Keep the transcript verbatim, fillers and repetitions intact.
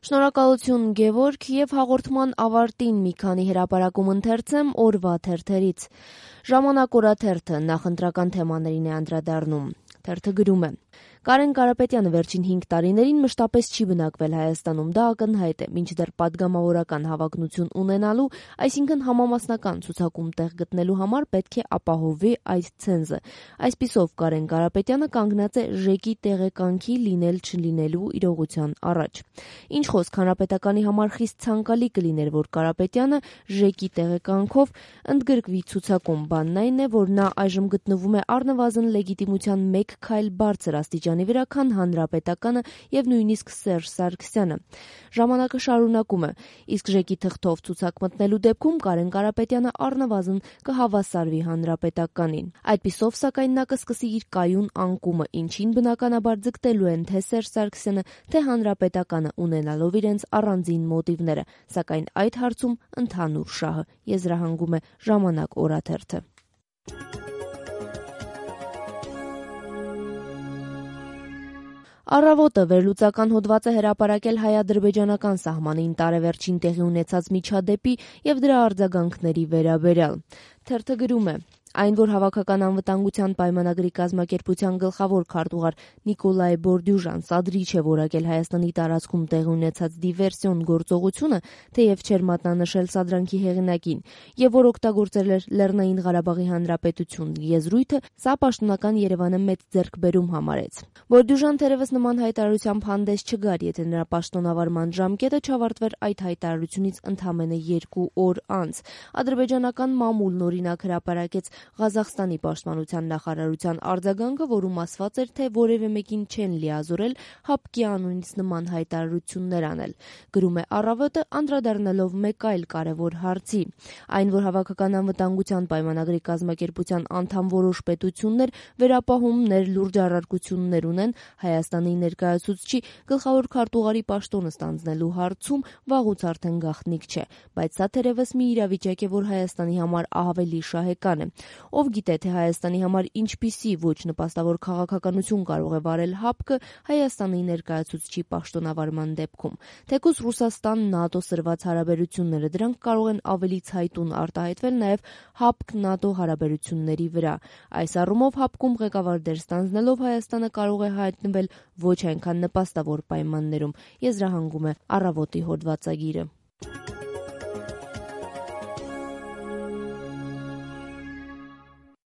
Շնորհակալություն Գևորգ եւ հաղորդման ավարտին մի քանի հրապարակում ընթերցեմ օրվա թերթերից։ Ժամանակ օրաթերթը նախընտրական թեմաներին է անդրադառնում։ Թերթը գրում է. Կարեն Կարապետյանը վերջին հինգ տարիներին մշտապես չի բնակվել Հայաստանում, դա ակնհայտ է, մինչդեռ պատգամավորական հավակնություն ունենալու, այսինքն համամասնական ցուցակում տեղ գտնելու համար պետք է ապահովի այդ ցենզը։ Այսպիսով Կարեն Կարապետյանը կանգնած է ԺԵԿ-ի տեղեկանքի լինել-չլինելու իրողության առաջ։ Ինչ խոսք, հանրապետականի համար խիստ ցանկալի կլիներ, որ Կարապետյանը ԺԵԿ-ի տեղեկանքով ընդգրկվի ցուցակում, բանն այն է, որ նա այժմ գտնվում է առնվազն լեգիտիմության մեկ քայլ բարձր աստիճանի վրա, քան հանրապետականը եւ նույնիսկ Սերժ Սարգսյանը։ Ժամանակը շարունակում է, իսկ ԺԵԿ-ի թղթով ցուցակ մտնելու դեպքում Կարեն Կարապետյանը առնվազն կհավասարվի հանրապետականին։ Այդպիսով, սակայն, նա կսկսի իր կայուն անկումը, ինչին բնականաբար ձգտելու են թե Սերժ Սարգսյանը, թե հանրապետականը, ունենալով իրենց առանձին մոտիվները, սակայն այդ հարցում ընդհանուր շահը, եզրահանգում է Ժամանակ օրաթերթը։ Առավոտը վերլուծական հոդված է հրապարակել հայ-ադրբեջանական սահմանին տարեվերջին տեղի ունեցած միջադեպի եւ դրա արձագանքների վերաբերյալ։ Թերթը գրում է. Այն, որ Հավաքական անվտանգության պայմանագրի կազմակերպության գլխավոր քարտուղար Նիկոլայ Բորդյուժան սադրիչ է որակել Հայաստանի տարածքում տեղի ունեցած դիվերսիոն գործողությունը, թեև չէր մատնանշել սադրանքի հեղինակին, եւ որ օգտագործել էր Լեռնային Ղարաբաղի Հանրապետություն եզրույթը, սա պաշտոնական Երևանը մեծ ձեռքբերում համարեց։ Բորդյուժան թերևս նման հայտարարությամբ հանդես չգար, եթե նրա պաշտոնավարման ժամկետը չավարտվեր այդ հայտարարությունից ընդամենը երկու օր անց։ Ադրբեջանական մամուլն օրինակ հրապարակեց Ղազախստանի պաշտպանության նախարարության արձագանքը, որում ասված էր, թե որևէ մեկին չեն լիազորել ՀԱՊԿ-ի անունից նման հայտարարություններ անել։ Գրում է Առավոտը, անդրադառնալով մեկ այլ կարևոր հարցի։ Այն, որ Հավաքական անվտանգության պայմանագրի կազմակերպության անդամ որոշ պետություններ վերապահումներ, լուրջ առարկություններ ունեն Հայաստանի ներկայացուցչի գլխավոր քարտուղարի պաշտոնը ստանձնելու հարցում, վաղուց արդեն գաղտնիք չէ, բայց սա թերևս մի իրավիճակ է, որ Հայաստանի համար ավելի շահեկան է։ Ով գիտե, թե Հայաստանի համար ինչպիսի ոչ նպաստավոր քաղաքականություն կարող է վարել ՀԱՊԿ-ը Հայաստանի ներկայացուցչի պաշտոնավարման դեպքում։ Թեկուզ Ռուսաստան-ՆԱՏՕ սրված հարաբերությունները, դրանք կարող են ավելի ցայտուն արտահայտվել նաև ՀԱՊԿ-ՆԱՏՕ հարաբերությունների վրա։ Այս առումով ՀԱՊԿ-ում ղեկավար դեր ստանձնելով Հայաստանը կարող է հայտնվել ոչ այնքան նպաստավոր պայմաններում, եզրահանգում է Առավոտի հոդվածագիրը։